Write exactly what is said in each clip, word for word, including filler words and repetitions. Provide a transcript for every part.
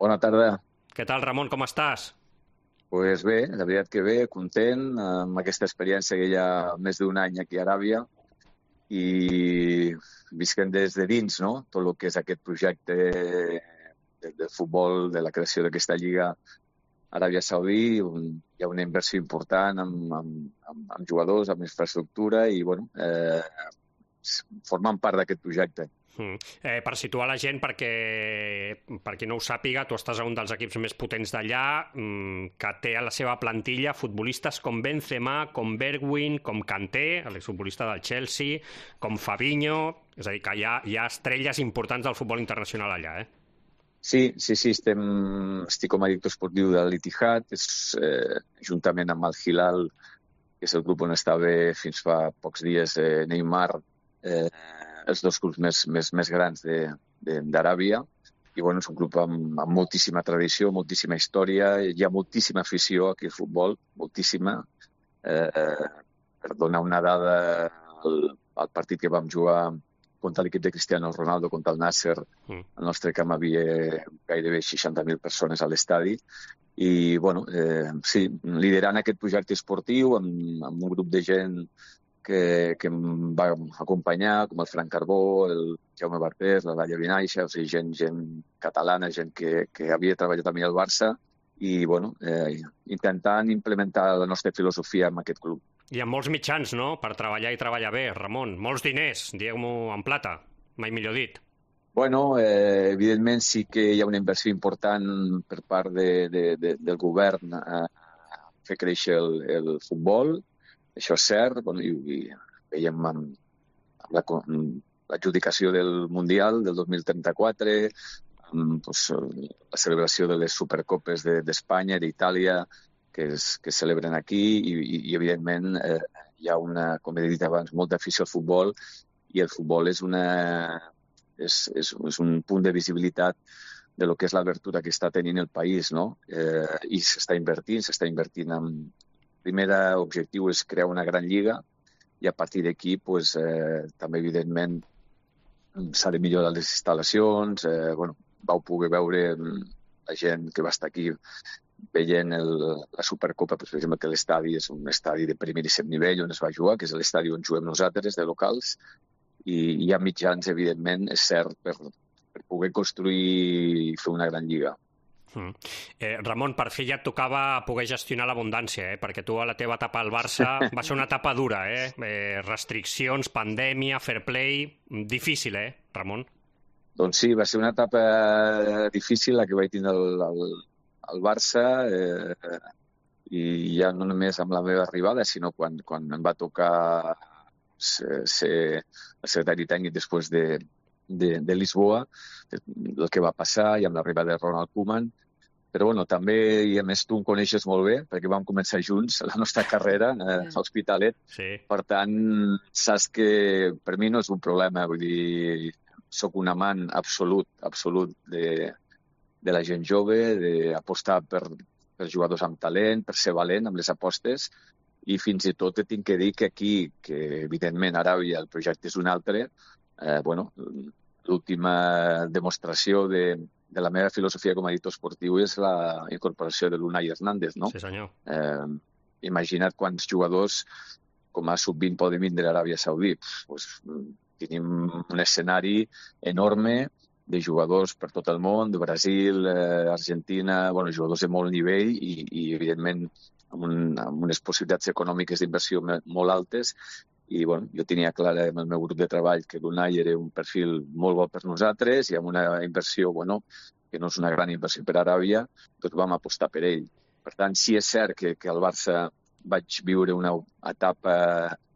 Bona tarda. Què tal, Ramon, com estàs? Pues bé, la veritat que bé, content amb aquesta experiència que hi ha més d'un any aquí a Aràbia i visquem des de dins, no? Tot el que és aquest projecte de, de futbol, de la creació d'aquesta lliga a Aràbia Saudí, on hi ha una inversió important amb, amb, amb, amb jugadors, amb infraestructura i, bueno, eh, formant part d'aquest projecte. Mm. Eh, per situar la gent, perquè per qui no ho sàpiga, tu estàs a un dels equips més potents d'allà, mm, que té a la seva plantilla futbolistes com Benzema, com Bergwijn, com Kanté, l'exfutbolista del Chelsea, com Fabinho, és a dir, que hi ha, hi ha estrelles importants del futbol internacional allà, eh? Sí, sí, sí, estem, estic com a director esportiu de l'Ittihad, és, eh, juntament amb el Hilal, que és el grup on estava fins fa pocs dies eh, Neymar, eh, els dos clubs més, més, més grans d'Aràbia. I bueno, és un club amb, amb moltíssima tradició, moltíssima història, hi ha moltíssima afició aquí al futbol, moltíssima. Eh, per donar una dada, el, el partit que vam jugar contra l'equip de Cristiano Ronaldo, contra el Nasser, mm. al nostre camp havia gairebé seixanta mil persones a l'estadi. I, bueno, eh, sí, liderant aquest projecte esportiu amb, amb un grup de gent que, que em va acompanyar, com el Frank Carbó, el Jaume Bartés, la Laia Vinaixa, o sigui, gent, gent catalana, gent que, que havia treballat també al Barça, i bueno, eh, intentant implementar la nostra filosofia en aquest club. Hi ha molts mitjans, no?, per treballar i treballar bé, Ramon. Molts diners, digueu-m'ho en plata, mai millor dit. Bueno, eh, evidentment sí que hi ha una inversió important per part de, de, de, del govern a fer créixer el, el futbol. Això és cert, bueno, i, i veiem amb, amb la, l'adjudicació del Mundial del dos mil trenta-quatre, amb pues, la celebració de les Supercopes d'Espanya, de, d'Itàlia, que es, que es celebren aquí, i, i, i evidentment eh, hi ha una, com he dit abans, molta afició al futbol, i el futbol és, una, és, és, és un punt de visibilitat de lo que és l'obertura que està tenint el país, no? Eh, I s'està invertint, s'està invertint en... El primer objectiu és crear una gran lliga i a partir d'aquí pues, eh, també, evidentment, s'ha de millorar les instal·lacions. Eh, bueno, vau poder veure la gent que va estar aquí veient el, la Supercopa, pues, per exemple, que l'estadi és un estadi de primeríssim nivell on es va jugar, que és l'estadi on juguem nosaltres, de locals, i hi ha mitjans, evidentment, és cert, per, per poder construir i fer una gran lliga. Mm. Eh, Ramon, per fi ja et tocava poder gestionar l'abundància, eh? Perquè tu a la teva etapa al Barça va ser una etapa dura, eh? eh restriccions, pandèmia, fair play... Difícil, eh, Ramon? Doncs sí, va ser una etapa difícil la que vaig tindre al, al, al Barça, eh, i ja no només amb la meva arribada, sinó quan, quan em va tocar ser, ser el secretari tècnic després de, de, de Lisboa, el que va passar, i amb l'arribada de Ronald Koeman. Però bueno, també, i a més tu em coneixes molt bé, perquè vam començar junts la nostra carrera eh, a l'Hospitalet. Sí. Per tant, saps que per mi no és un problema, vull dir, sóc un amant absolut, absolut de, de la gent jove, d'apostar per, per jugadors amb talent, per ser valent amb les apostes, i fins i tot tinc que dir que aquí, que evidentment a Aràbia el projecte és un altre, eh, bueno, l'última demostració de, de la meva filosofia com a editor esportiu és la incorporació de l'Unai Hernández, no? Sí, senyor. Eh, imagina't quants jugadors com a sub vint poden vindre a Aràbia Saudí. Pues, tenim un escenari enorme de jugadors per tot el món, de Brasil, eh, Argentina, bueno, jugadors de molt nivell i, i evidentment, amb, un, amb unes possibilitats econòmiques d'inversió molt altes. I bueno, jo tenia clar amb el meu grup de treball que l'Unai era un perfil molt bo per nosaltres i amb una inversió, bueno, que no és una gran inversió per a Aràbia, doncs vam apostar per ell. Per tant, sí és cert que, que al Barça vaig viure una etapa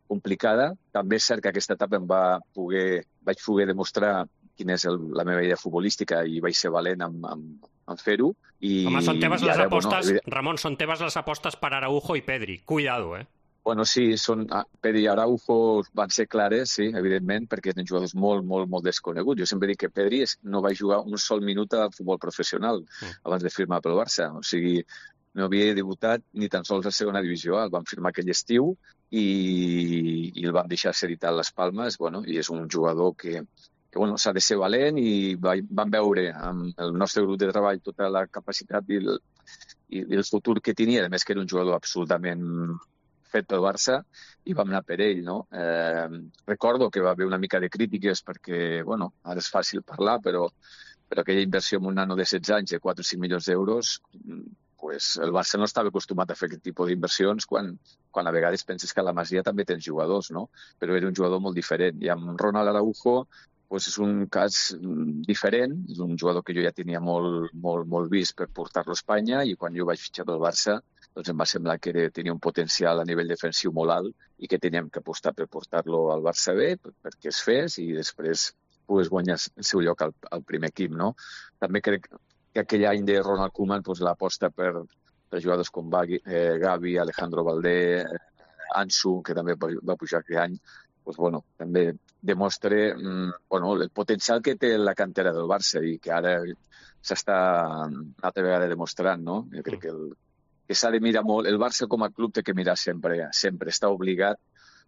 complicada. També és cert que aquesta etapa em va poder, vaig poder demostrar quina és el, la meva idea futbolística i vaig ser valent en, en, en fer-ho. I, Home, són teves les ara, apostes, bueno, Ramon, són teves les apostes per Araujo i Pedri. Cuidado, eh? Bueno, sí, són, Pedri i Araujo van ser clares, sí, evidentment, perquè eren jugadors molt, molt, molt desconeguts. Jo sempre dic que Pedri no va jugar un sol minut a futbol professional mm. abans de firmar pel Barça. O sigui, no havia debutat ni tan sols a segona divisió. El van firmar aquell estiu i, i el van deixar ser editat a les Palmes. Bueno, i és un jugador que, que bueno, s'ha de ser valent i vam veure amb el nostre grup de treball tota la capacitat i el, i el futur que tenia, a més que era un jugador absolutament fet pel Barça, i vam anar per ell, no? Eh, recordo que va haver una mica de crítiques perquè, bueno, ara és fàcil parlar, però, però aquella inversió en un nano de setze anys de quatre o cinc milions d'euros, pues el Barça no estava acostumat a fer aquest tipus d'inversions quan, quan a vegades penses que a la Masia també tens jugadors, no? Però era un jugador molt diferent. I amb Ronald Araujo pues és un cas diferent, és un jugador que jo ja tenia molt, molt, molt vist per portar-lo a Espanya, i quan jo vaig fitxar pel Barça doncs em va semblar que era, tenia un potencial a nivell defensiu molt alt i que teníem que apostar per portar-lo al Barça B perquè es fes i després pogués guanyar el seu lloc al, al primer equip, no? També crec que aquell any de Ronald Koeman pues, l'aposta per, per jugadors com Gavi, eh, Gavi Alejandro Valdé, eh, Ansu, que també va pujar aquell any, pues, bueno, també demostra mm, bueno, el potencial que té la cantera del Barça i que ara s'està una altra vegada demostrant, no? Jo crec que, el, que s'ha de mirar molt. El Barça com a club té que mirar sempre, sempre està obligat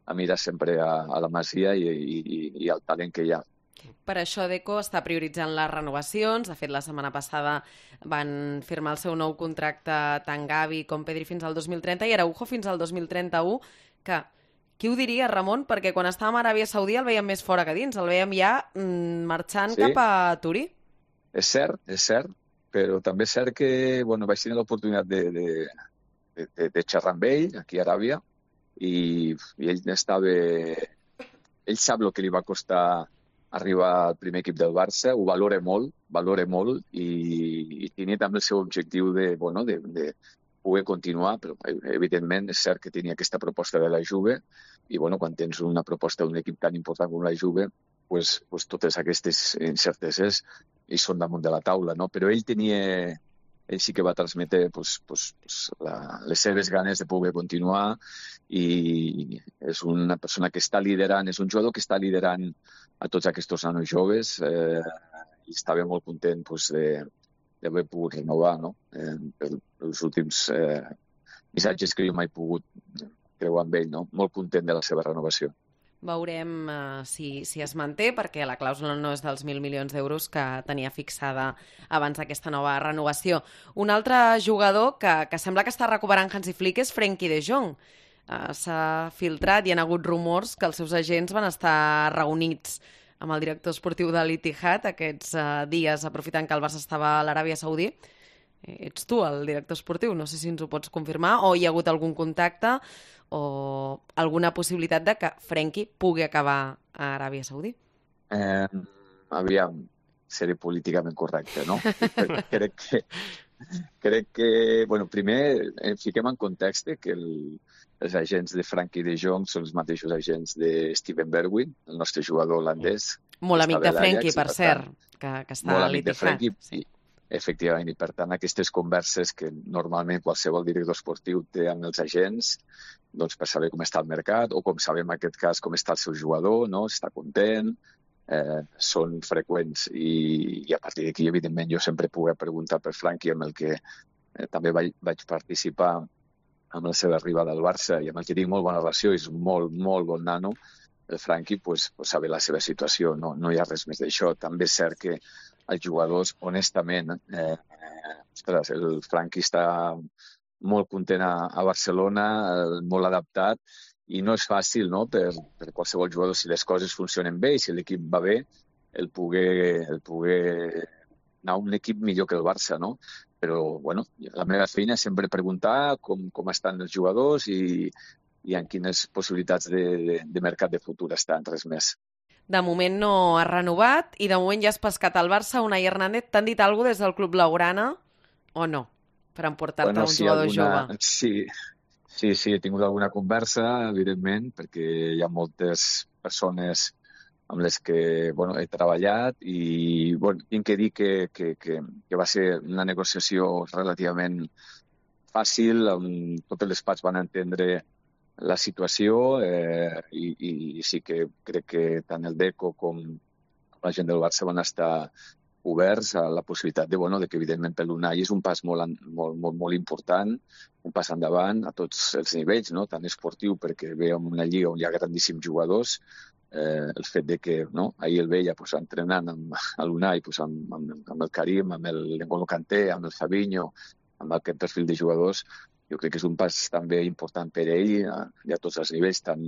a mirar sempre a, a la Masia i, i, i al talent que hi ha. Per això Deco està prioritzant les renovacions. De fet, la setmana passada van firmar el seu nou contracte tant Gavi com Pedri fins al dos mil trenta i Araujo fins al dos mil trenta-u, que qui ho diria, Ramon? Perquè quan estàvem a Aràbia Saudí el veiem més fora que dins, el veiem ja mm, marxant sí. cap a Turí. És cert, és cert, però també és cert que bueno, vaig tenir l'oportunitat de, de, de, de, de xerrar amb ell aquí a Aràbia i, i ell estava... Ell sap el que li va costar arribar al primer equip del Barça, ho valora molt, valora molt i, i tenia també el seu objectiu de, bueno, de, de poder continuar, però evidentment és cert que tenia aquesta proposta de la Juve i bueno, quan tens una proposta d'un equip tan important com la Juve, pues, pues totes aquestes incerteses hi són damunt de la taula, no? Però ell tenia, ell sí que va transmetre pues, pues, pues, la, les seves ganes de poder continuar i és una persona que està liderant, és un jugador que està liderant a tots aquests nanos joves eh, i estava molt content pues, de d'haver pogut renovar, no? Eh, els últims eh, missatges que jo mai he pogut creuar amb ell, no? Molt content de la seva renovació. Veurem uh, si, si es manté, perquè la clàusula no és dels mil milions d'euros que tenia fixada abans d'aquesta nova renovació. Un altre jugador que, que sembla que està recuperant Hansi Flick és Frenkie de Jong. Uh, s'ha filtrat i han hagut rumors que els seus agents van estar reunits amb el director esportiu de l'Ittihad aquests uh, dies, aprofitant que el Barça estava a l'Aràbia Saudí. Ets tu el director esportiu, no sé si ens ho pots confirmar, o hi ha hagut algun contacte o alguna possibilitat de que Frenkie pugui acabar a Aràbia Saudí? Eh, aviam, seré políticament correcte, no? crec que, crec que, bueno, primer fiquem en context que el, els agents de Frenkie de Jong són els mateixos agents de Steven Bergwijn, el nostre jugador holandès. Molt amic de Frenkie, per cert, que, que està a l'Ittihad. Sí. Efectivament, i per tant aquestes converses que normalment qualsevol director esportiu té amb els agents doncs per saber com està el mercat o com sabem en aquest cas com està el seu jugador, no? Si està content, eh, són freqüents i, i a partir d'aquí evidentment jo sempre puc preguntar per Frenkie amb el que eh, també vaig, vaig participar amb la seva arribada al Barça i amb el que tinc molt bona relació, és un molt, molt bon nano, el Frenkie, pues, pues saber la seva situació, no, no hi ha res més d'això. També és cert que els jugadors, honestament, eh, ostres, el Frenkie està molt content a, a Barcelona, eh, molt adaptat, i no és fàcil, no?, per, per qualsevol jugador, si les coses funcionen bé i si l'equip va bé, el poder, el poder anar a un equip millor que el Barça, no? Però, bueno, la meva feina és sempre preguntar com, com estan els jugadors i, i en quines possibilitats de, de, de mercat de futur estan, res més. De moment no ha renovat i de moment ja has pescat al Barça. Unai Hernández, t'han dit alguna cosa des del Club Blaugrana o no? Per emportar-te bueno, un sí, jugador alguna... jove. Sí, sí, sí, he tingut alguna conversa, evidentment, perquè hi ha moltes persones amb les que bueno, he treballat i bueno, tinc que dir que, que, que, que va ser una negociació relativament fàcil, on totes les parts van entendre la situació eh, i, i sí que crec que tant el Deco com la gent del Barça van estar oberts a la possibilitat de, bueno, de que evidentment per l'Unai és un pas molt, molt, molt, molt important, un pas endavant a tots els nivells, no? Tant esportiu perquè ve en una lliga on hi ha grandíssims jugadors, eh, el fet de que no, ahir el veia pues, entrenant amb l'Unai, pues, amb, amb, amb el Karim, amb el N'Golo Kanté, amb el Fabinho, amb aquest perfil de jugadors, jo crec que és un pas també important per ell i a tots els nivells, tant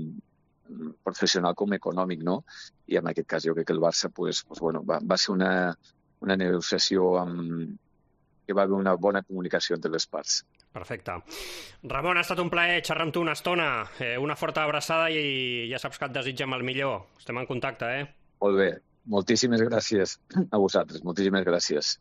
professional com econòmic, no? I en aquest cas jo crec que el Barça pues, pues, bueno, va, va ser una, una negociació amb, que va haver una bona comunicació entre les parts. Perfecte. Ramon, ha estat un plaer xerrar amb tu una estona. Eh, una forta abraçada i ja saps que et desitgem el millor. Estem en contacte, eh? Molt bé. Moltíssimes gràcies a vosaltres. Moltíssimes gràcies.